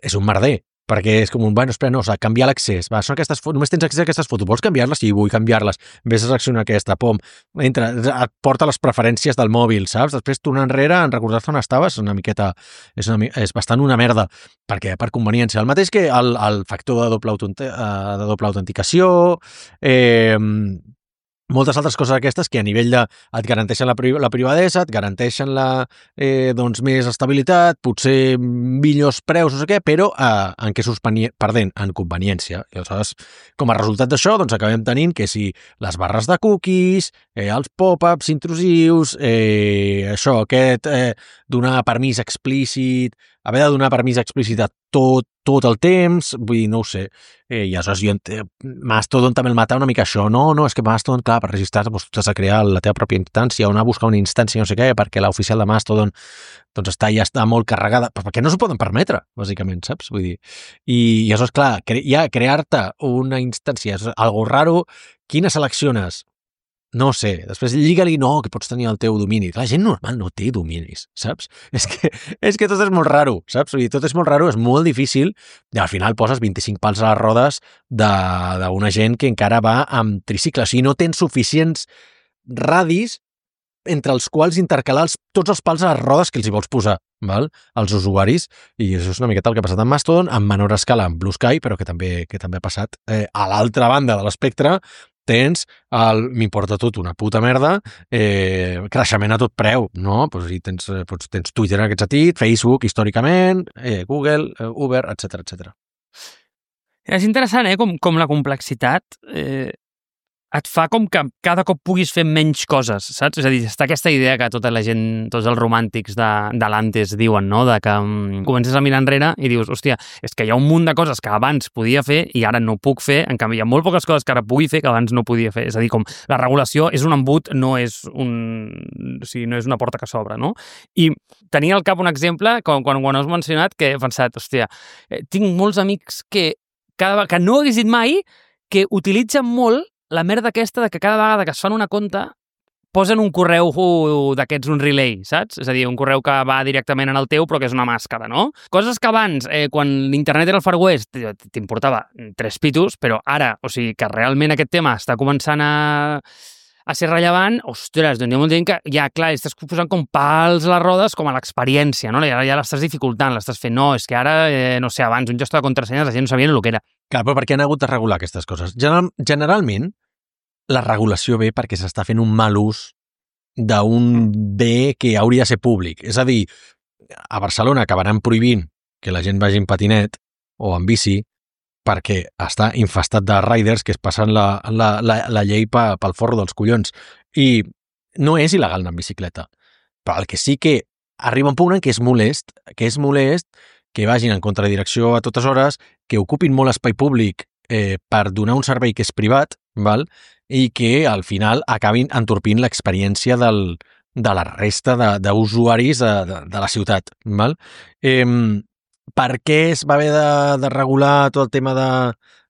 és un merder, perquè és com un, bueno, espera, no, o sigui, canviar l'accés, va, són aquestes fotos, només tens accés a aquestes fotos, vols canviar-les? Sí, vull canviar-les, vés a seleccionar aquesta, pom, entra, et porta les preferències del mòbil, saps? Després tornar enrere, en recordar-te on estaves, és una miqueta, és, una, és bastant una merda, perquè per conveniència, el mateix que el, el factor de doble, autent, de doble autenticació, eh, moltes altres coses aquestes que a nivell de et garanteixen la, pri la privadesa, et garanteixen la, eh, doncs, més estabilitat, potser millors preus, no sé què, però eh, en què surts perdent? En conveniència. I aleshores, com a resultat d'això, doncs acabem tenint que si les barres de cookies, eh, els pop-ups intrusius, eh, això, aquest eh, donar permís explícit, haver de donar permís explícit a tot, tot el temps, vull dir, no ho sé. Eh, I aleshores jo Mastodon també el mata una mica això. No, no, és que Mastodon, clar, per registrar-te doncs, tu has de crear la teva pròpia instància o anar a buscar una instància, no sé què, perquè l'oficial de Mastodon doncs està, ja està molt carregada, perquè no s'ho poden permetre, bàsicament, saps? Vull dir, i, i aleshores, clar, cre ja crear-te una instància és algo raro, quina selecciones? No sé, després lliga-li, no, que pots tenir el teu domini. La gent normal no té dominis, saps? És que, és que tot és molt raro, saps? Vull dir, tot és molt raro, és molt difícil, i al final poses vint-i-cinc pals a les rodes d'una gent que encara va amb tricicles, i no tens suficients radis entre els quals intercalar els, tots els pals a les rodes que els hi vols posar, val? Als usuaris, i això és una miqueta el que ha passat amb Mastodon, en menor escala amb Blue Sky, però que també, que també ha passat eh, a l'altra banda de l'espectre. Tens el m'importa tot una puta merda, eh, creixement a tot preu, no? Pues, i tens, pues, tens Twitter en aquest sentit, Facebook històricament, eh, Google, eh, Uber, etcètera, etcètera. És interessant, eh? Com, com la complexitat eh, et fa com que cada cop puguis fer menys coses, saps? És a dir, està aquesta idea que tota la gent, tots els romàntics de, de l'antes diuen, no? De que um, comences a mirar enrere i dius, hòstia, és que hi ha un munt de coses que abans podia fer i ara no puc fer, en canvi hi ha molt poques coses que ara pugui fer que abans no podia fer. És a dir, com la regulació és un embut, no és, un, o sigui, no és una porta que s'obre, no? I tenia al cap un exemple, quan, quan ho has mencionat, que he pensat, hòstia, eh, tinc molts amics que, cada, que no hagués dit mai, que utilitzen molt la merda aquesta de que cada vegada que es fan una compte posen un correu d'aquests, un relay, saps? És a dir, un correu que va directament en el teu però que és una màscara, no? Coses que abans, eh, quan l'internet era el Far West, t'importava tres pitos, però ara, o sigui, que realment aquest tema està començant a, a ser rellevant, ostres, doncs hi ha molta gent que ja, clar, estàs posant com pals a les rodes com a l'experiència, no? Ja, ja l'estàs dificultant, l'estàs fent. No, és que ara, eh, no sé, abans un gestor de contrasenyes la gent no sabia el que era. Clar, però per què han hagut de regular aquestes coses? General, generalment, la regulació ve perquè s'està fent un mal ús d'un bé que hauria de ser públic. És a dir, a Barcelona acabaran prohibint que la gent vagi en patinet o en bici perquè està infestat de riders que es passen la, la, la, la llei pa, pel forro dels collons. I no és il·legal anar en bicicleta. Però el que sí que arriba un punt en què és molest, que és molest que vagin en contradirecció a totes hores, que ocupin molt espai públic eh, per donar un servei que és privat, val? I que al final acabin entorpint l'experiència del, de la resta d'usuaris de, de, de, de la ciutat. Val? Eh, per què es va haver de, de regular tot el tema de,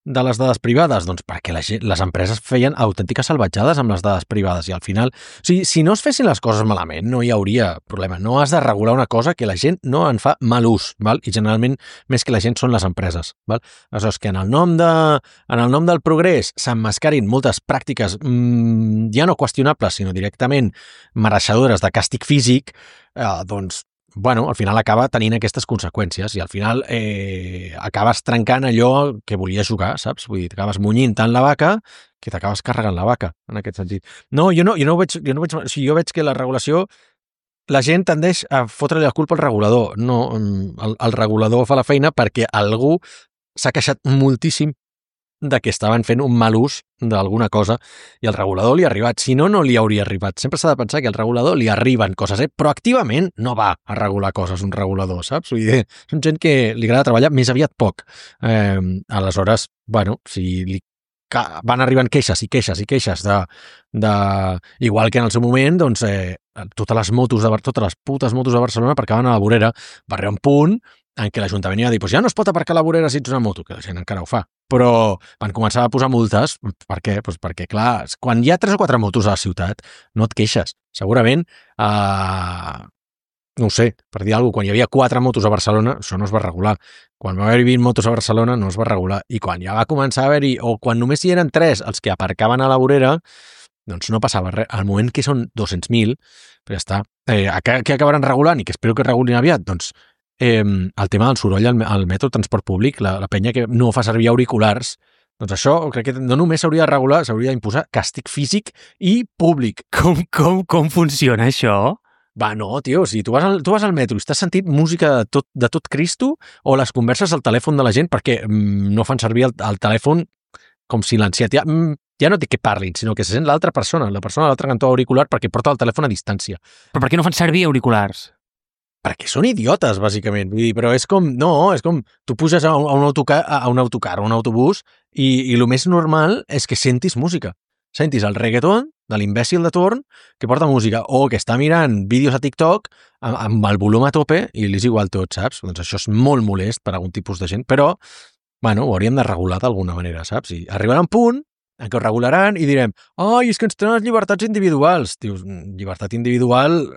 de les dades privades? Doncs perquè la gent, les empreses feien autèntiques salvatjades amb les dades privades i al final, o sigui, si no es fessin les coses malament, no hi hauria problema. No has de regular una cosa que la gent no en fa mal ús, val? I generalment més que la gent són les empreses. Val? Aleshores, que en el nom, de, en el nom del progrés s'emmascarin moltes pràctiques mmm, ja no qüestionables, sinó directament mereixedores de càstig físic, eh, doncs bueno, al final acaba tenint aquestes conseqüències i al final eh, acabes trencant allò que volies jugar, saps? Vull dir, t'acabes munyint tant la vaca que t'acabes carregant la vaca, en aquest sentit. No, jo no, jo no ho veig, jo no ho veig, o sigui, jo veig que la regulació, la gent tendeix a fotre-li la culpa al regulador. No, el, el regulador fa la feina perquè algú s'ha queixat moltíssim de que estaven fent un mal ús d'alguna cosa i el regulador li ha arribat. Si no, no li hauria arribat. Sempre s'ha de pensar que al regulador li arriben coses, eh? Però activament no va a regular coses un regulador, saps? Vull dir, són gent que li agrada treballar més aviat poc. Eh, aleshores, bueno, si li van arribant queixes i queixes i queixes de, de... igual que en el seu moment, doncs, eh, totes les motos de totes les putes motos de Barcelona aparcaven a la vorera. Va arribar un punt en què l'Ajuntament va dir, pues ja no es pot aparcar a la vorera si ets una moto, que la gent encara ho fa. Però van començar a posar multes. Per què? Pues perquè, clar, quan hi ha tres o quatre motos a la ciutat, no et queixes. Segurament, eh, no ho sé, per dir alguna cosa, quan hi havia quatre motos a Barcelona, això no es va regular. Quan va haver vint motos a Barcelona, no es va regular. I quan ja va començar a haver-hi, o quan només hi eren tres els que aparcaven a la vorera, doncs no passava res. Al moment que són dos-cents mil, ja està. Eh, què acabaran regulant i que espero que regulin aviat? Doncs Eh, el tema del soroll al, al metro, transport públic, la, la penya que no fa servir auriculars, doncs això crec que no només s'hauria de regular, s'hauria d'imposar càstig físic i públic. Com, com, com funciona això? Va, no, tio, si tu vas al, tu vas al metro i estàs sentint música de tot, de tot Cristo o les converses al telèfon de la gent perquè mm, no fan servir el, el telèfon com silenciat. Ja, mm, ja no dic que parlin, sinó que se sent l'altra persona, la persona a l'altre cantó auricular perquè porta el telèfon a distància. Però per què no fan servir auriculars? Perquè són idiotes, bàsicament. Vull dir, però és com, no, és com, tu puges a un, a un autocar, a un autocar, a un autobús, i, i el més normal és que sentis música. Sentis el reggaeton de l'imbècil de torn que porta música, o que està mirant vídeos a TikTok amb, amb el volum a tope i li és igual tot, saps? Doncs això és molt molest per a algun tipus de gent, però, bueno, ho hauríem de regular d'alguna manera, saps? I arribarà un punt en què ho regularan i direm, ai, és que ens tenen les llibertats individuals. Dius, llibertat individual...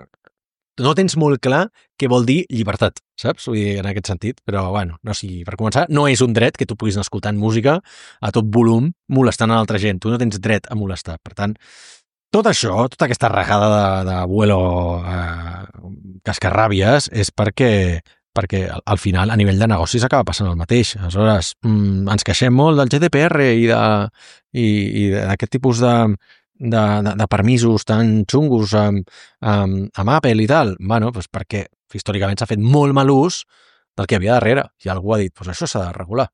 no tens molt clar què vol dir llibertat, saps? Vull dir, en aquest sentit, però, bueno, no sigui, per començar, no és un dret que tu puguis anar escoltant música a tot volum molestant a l'altra gent. Tu no tens dret a molestar. Per tant, tot això, tota aquesta regada de, de vuelo eh, cascarràbies és perquè, perquè al, al final, a nivell de negocis, acaba passant el mateix. Aleshores, mm, ens queixem molt del G D P R i d'aquest tipus de... De, de, de permisos tan xungos amb, amb, amb Apple i tal, bueno, doncs perquè històricament s'ha fet molt mal ús del que havia darrere, i algú ha dit, doncs això s'ha de regular.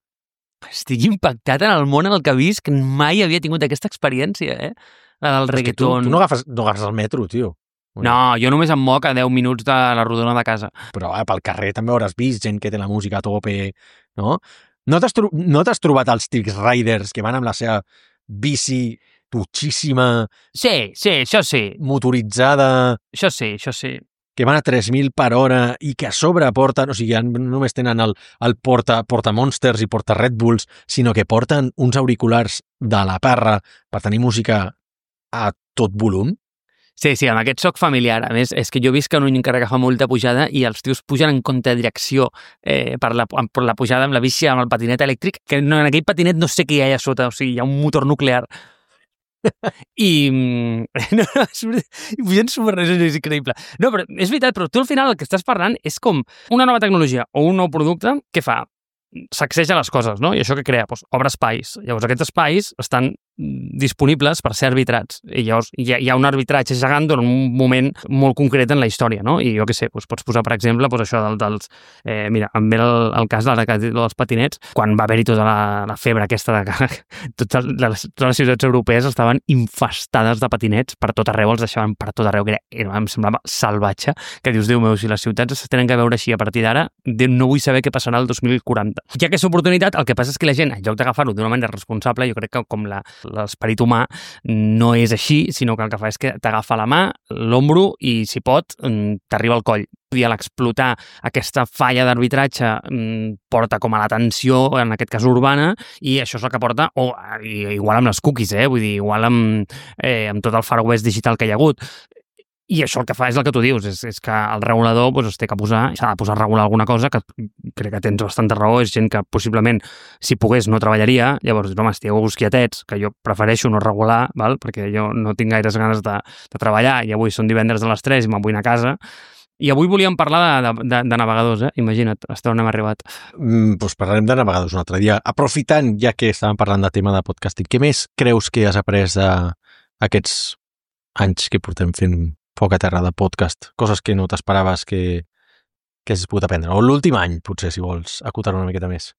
Estic impactat en el món en el que visc, mai havia tingut aquesta experiència, eh? La del reggaeton. Tu, tu no, agafes, no agafes el metro, tio. No, jo només em moc a deu minuts de la rodona de casa. Però eh, pel carrer també hauràs vist gent que té la música a tope, no? No t'has tro no t'has trobat els Trix Riders que van amb la seva bici tutxíssima... Sí, sí, això sí. Motoritzada... Això sí, això sí. Que van a tres mil per hora i que a sobre porten... O sigui, no només tenen el, el porta, porta Monsters i porta Red Bulls, sinó que porten uns auriculars de la parra per tenir música a tot volum Sí, sí, amb aquest soc familiar. A més, és que jo visc en un carrer que fa molta pujada i els tios pugen en contradirecció eh, per, la, per la pujada amb la bici, amb el patinet elèctric, que no, en aquell patinet no sé què hi ha allà sota, o sigui, hi ha un motor nuclear. I no, no, i pugen superres, és increïble. No, però és veritat, però tu al final el que estàs parlant és com una nova tecnologia o un nou producte que fa sacseja les coses, no? I això que crea? Doncs obre espais. Llavors aquests espais estan disponibles per ser arbitrats. I llavors hi ha, hi ha un arbitratge gegant durant un moment molt concret en la història, no? I jo què sé, doncs pots posar, per exemple, doncs això del, dels... Eh, mira, em ve el, el cas de la, dels patinets, quan va haver-hi tota la, la febre aquesta de que totes les, totes les ciutats europees estaven infestades de patinets per tot arreu, els deixaven per tot arreu, que era, era, em semblava salvatge, que dius, Déu meu, si les ciutats es tenen que veure així a partir d'ara, no vull saber què passarà el dos mil quaranta. Ja que és oportunitat, el que passa és que la gent, en lloc d'agafar-ho d'una manera responsable, jo crec que com la l'esperit humà no és així, sinó que el que fa és que t'agafa la mà, l'ombro i, si pot, t'arriba al coll. I a l'explotar aquesta falla d'arbitratge porta com a la tensió, en aquest cas urbana, i això és el que porta, o igual amb les cookies, eh? Vull dir, igual amb, eh, amb tot el Far West digital que hi ha hagut. I això el que fa és el que tu dius, és, és que el regulador doncs, es té que posar, s'ha de posar a regular alguna cosa, que crec que tens bastanta raó, és gent que possiblement, si pogués, no treballaria, llavors, home, estigueu quietets, que jo prefereixo no regular, val? Perquè jo no tinc gaires ganes de, de treballar, i avui són divendres a les tres i me'n vull anar a casa, i avui volíem parlar de, de, de navegadors, eh? Imagina't, hasta on hem arribat. Mm, doncs parlarem de navegadors un altre dia. Aprofitant, ja que estàvem parlant de tema de podcasting, què més creus que has après d'aquests anys que portem fent foc a terra de podcast, coses que no t'esperaves que, que has pogut aprendre. O l'últim any, potser, si vols acotar una miqueta més.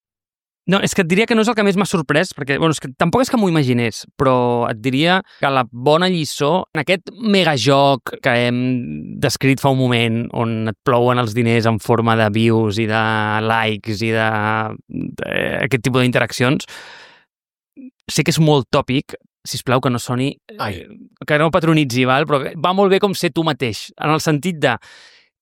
No, és que et diria que no és el que més m'ha sorprès, perquè bueno, és que tampoc és que m'ho imaginés, però et diria que la bona lliçó, en aquest megajoc que hem descrit fa un moment, on et plouen els diners en forma de views i de likes i d'aquest tipus d'interaccions, sé que és molt tòpic, sisplau, que no soni... Ai. Que no patronitzi, val? Però va molt bé com ser tu mateix, en el sentit de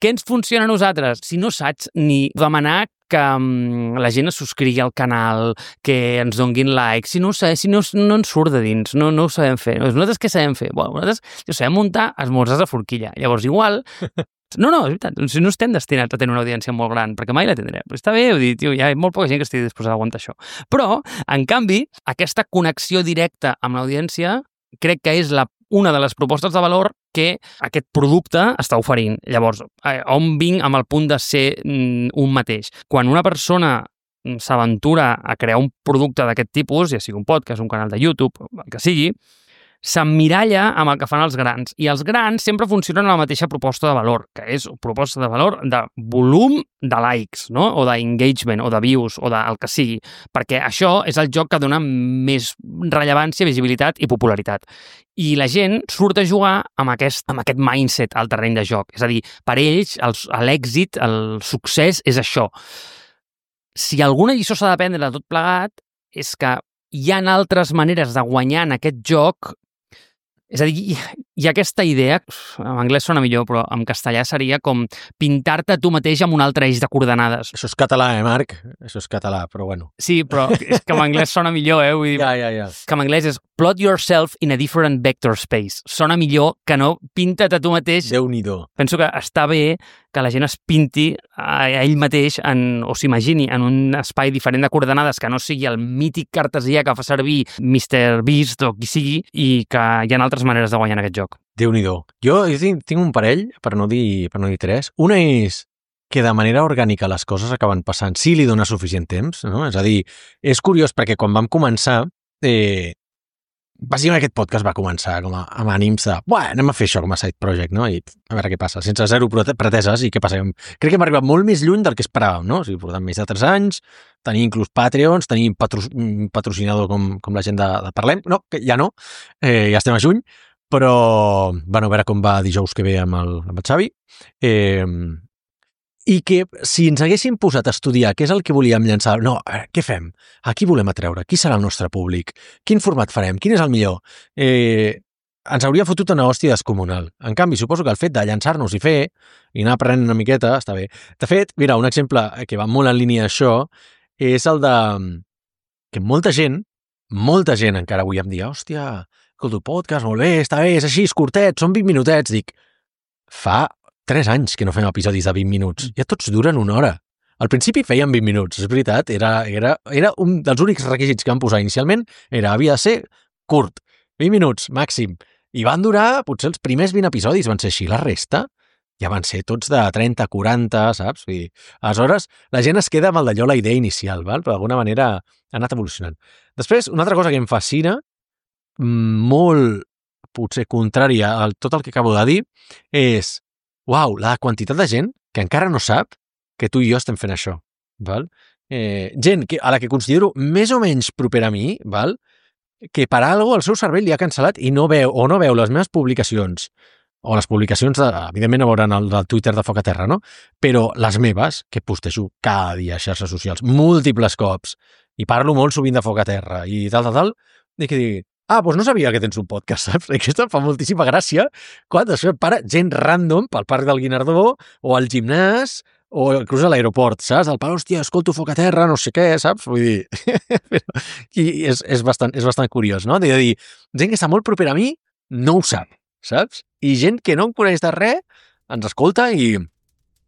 què ens funciona a nosaltres? Si no saps ni demanar que um, la gent es subscrigui al canal, que ens donguin like, si no ho sabem, si no, no ens surt de dins, no, no ho sabem fer. Nosaltres què sabem fer? Bueno, nosaltres jo sabem muntar esmorzars a forquilla. Llavors, igual... No, no, és veritat, si no estem destinats a tenir una audiència molt gran, perquè mai la tindrem. Però està bé, ho dic, tio, hi ha molt poca gent que estigui disposada a aguantar això. Però, en canvi, aquesta connexió directa amb l'audiència crec que és la, una de les propostes de valor que aquest producte està oferint. Llavors, eh, on vinc amb el punt de ser mm, un mateix? Quan una persona s'aventura a crear un producte d'aquest tipus, ja sigui un podcast, un canal de YouTube, el que sigui, s'emmiralla amb el que fan els grans. I els grans sempre funcionen amb la mateixa proposta de valor, que és proposta de valor de volum de likes, no? O d'engagement, o de views, o del que sigui. Perquè això és el joc que dona més rellevància, visibilitat i popularitat. I la gent surt a jugar amb aquest, amb aquest mindset al terreny de joc. És a dir, per ells l'èxit, el succés és això. Si alguna lliçó s'ha d'aprendre de tot plegat, és que hi ha altres maneres de guanyar en aquest joc. És a dir, hi ha aquesta idea, en anglès sona millor, però en castellà seria com pintar-te tu mateix amb un altre eix de coordenades. Això és català, eh, Marc? Això és català, però bueno. Sí, però és que en anglès sona millor, eh? Vull dir, ja, ja, ja. Que en anglès és plot yourself in a different vector space. Sona millor que no pinta't a tu mateix. Déu-n'hi-do. Penso que està bé que la gent es pinti a ell mateix en, o s'imagini en un espai diferent de coordenades que no sigui el mític cartesià que fa servir mister Beast o qui sigui, i que hi ha altres maneres de guanyar en aquest joc. Déu-n'hi-do. Jo, jo tinc, tinc un parell, per no dir, per no dir tres. Una és que de manera orgànica les coses acaben passant si li dones suficient temps, no? És a dir, és curiós perquè quan vam començar, eh, bàsicament aquest podcast va començar com a, amb ànims de, buah, anem a fer això com a side project, no? I a veure què passa, sense zero preteses, i què passa? Crec que hem arribat molt més lluny del que esperàvem, no? O sigui, portem més de tres anys, tenir inclús Patreons, tenir patro, un patrocinador com, com la gent de, de Parlem, no, que ja no, eh, ja estem a juny, però, bueno, a veure com va dijous que ve amb el, amb el Xavi, eh, i que si ens haguéssim posat a estudiar què és el que volíem llançar, no, què fem? A qui volem atreure? Qui serà el nostre públic? Quin format farem? Quin és el millor? Eh, ens hauria fotut una hòstia descomunal. En canvi, suposo que el fet de llançar-nos i fer, i anar aprenent una miqueta, està bé. De fet, mira, un exemple que va molt en línia d'això és el de que molta gent molta gent encara avui em dia, hòstia, escolta, podcast, molt bé, està bé, és així, és curtet, són vint minutets. Dic, fa tres anys que no fem episodis de vint minuts. Ja tots duren una hora. Al principi feien vint minuts, és veritat, era, era, era un dels únics requisits que vam posar inicialment, era, havia de ser curt, vint minuts, màxim. I van durar, potser els primers vint episodis van ser així, la resta ja van ser tots de trenta, quaranta, saps? Vull dir, aleshores, la gent es queda amb el d'allò, la idea inicial, val? Però d'alguna manera ha anat evolucionant. Després, una altra cosa que em fascina, molt, potser, contrària a tot el que acabo de dir, és, uau, la quantitat de gent que encara no sap que tu i jo estem fent això, val? Eh, gent que, a la que considero més o menys propera a mi, val? Que per alguna cosa el seu cervell li ha cancel·lat i no veu o no veu les meves publicacions o les publicacions, de, evidentment no veuran el del Twitter de Foc a Terra, no? Però les meves, que postejo cada dia a xarxes socials, múltiples cops, i parlo molt sovint de Foc a Terra, i tal, tal, tal, i que digui, ah, doncs no sabia que tens un podcast, saps? I aquesta em fa moltíssima gràcia quan després para gent random pel Parc del Guinardó o al gimnàs o inclús a l'aeroport, saps? El pare, hòstia, escolto Foc a Terra, no sé què, saps? Vull dir, i és, és, bastant, és bastant curiós, no? De dir, gent que està molt propera a mi no ho sap, saps? I gent que no em coneix de res ens escolta i,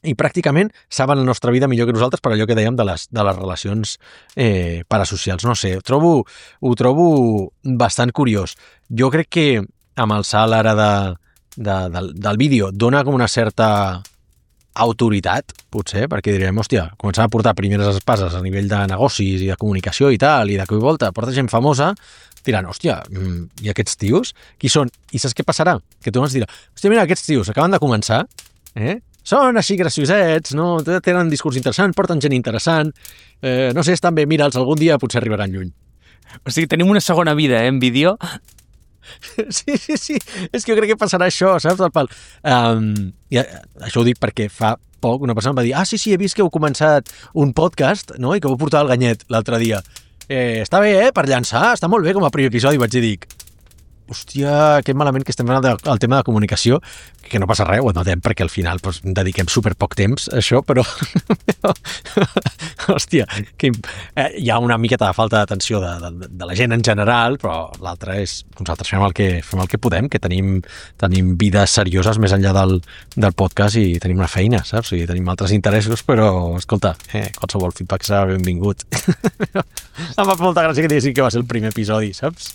i pràcticament saben la nostra vida millor que nosaltres per allò que dèiem de les, de les relacions eh, parasocials. No sé, ho trobo, ho trobo bastant curiós. Jo crec que amb el salt ara de, de, del, del vídeo dona com una certa autoritat, potser, perquè direm, hòstia, començant a portar primeres espases a nivell de negocis i de comunicació i tal, i de cop i volta porta gent famosa, diran, hòstia, i aquests tios, qui són? I saps què passarà? Que tu ens diràs, hòstia, mira, aquests tios acaben de començar, eh? Són així graciosets, no? Tenen discurs interessant, porten gent interessant, eh, no sé, estan bé, mira'ls, algun dia potser arribaran lluny. O sigui, tenim una segona vida, eh, en vídeo. Sí, sí, sí, és que jo crec que passarà això, saps? El pal. Um, i això ho dic perquè fa poc una persona em va dir, ah, sí, sí, he vist que heu començat un podcast, no?, i que heu portat el Ganyet l'altre dia. Eh, està bé, eh, per llançar, està molt bé com a primer episodi, vaig dir, dic, hòstia, que malament que estem fent el, el tema de comunicació, que no passa res, ho notem, perquè al final pues, dediquem super poc temps a això, però hòstia, que eh, hi ha una miqueta de falta d'atenció de, de, de la gent en general, però l'altre és, nosaltres fem el que, fem el que podem, que tenim, tenim vides serioses més enllà del, del podcast i tenim una feina, saps? I tenim altres interessos, però, escolta, eh, qualsevol feedback serà benvingut. Em fa molta gràcia que diguessin que va ser el primer episodi, saps?